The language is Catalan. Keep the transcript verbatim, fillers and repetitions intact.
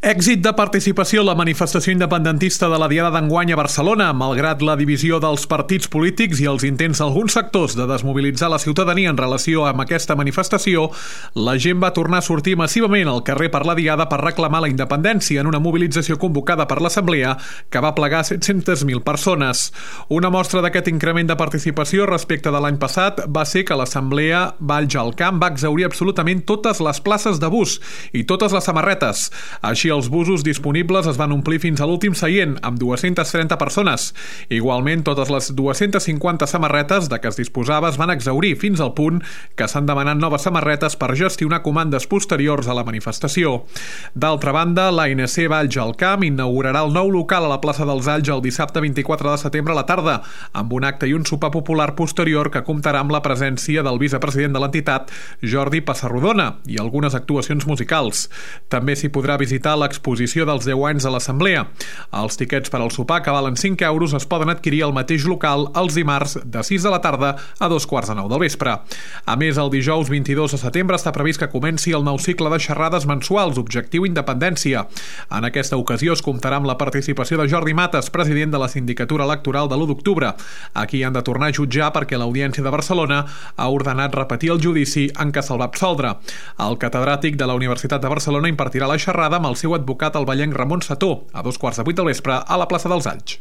Èxit de participació a la manifestació independentista de la Diada d'enguany a Barcelona, malgrat la divisió dels partits polítics i els intents d'alguns sectors de desmobilitzar la ciutadania en relació amb aquesta manifestació, la gent va tornar a sortir massivament al carrer per la Diada per reclamar la independència en una mobilització convocada per l'Assemblea que va plegar set-centes mil persones. Una mostra d'aquest increment de participació respecte de l'any passat va ser que l'Assemblea Valls al Camp va exhaurir absolutament totes les places de bus i totes les samarretes. Així, els busos disponibles es van omplir fins a l'últim seient, amb dues-centes trenta persones. Igualment, totes les dues-centes cinquanta samarretes de què es disposava es van exhaurir fins al punt que s'han demanat noves samarretes per gestionar comandes posteriors a la manifestació. D'altra banda, l'A N C Valls al Camp inaugurarà el nou local a la plaça dels Alls el dissabte vint-i-quatre de setembre a la tarda, amb un acte i un sopar popular posterior que comptarà amb la presència del vicepresident de l'entitat, Jordi Passarrodona, i algunes actuacions musicals. També s'hi podrà visitar l'exposició dels deu anys de l'Assemblea. Els tiquets per al sopar, que valen cinc euros, es poden adquirir al mateix local els dimarts de sis de la tarda a dos quarts de nou del vespre. A més, el dijous vint-i-dos de setembre està previst que comenci el nou cicle de xerrades mensuals, Objectiu Independència. En aquesta ocasió es comptarà amb la participació de Jordi Mates, president de la Sindicatura Electoral de l'u d'octubre. Aquí han de tornar a jutjar perquè l'Audiència de Barcelona ha ordenat repetir el judici en què se'l va absoldre. El catedràtic de la Universitat de Barcelona impartirà la xerrada amb el seu advocat el vallenc Ramon Sató, a dos quarts de vuit del vespre a la plaça dels Alls.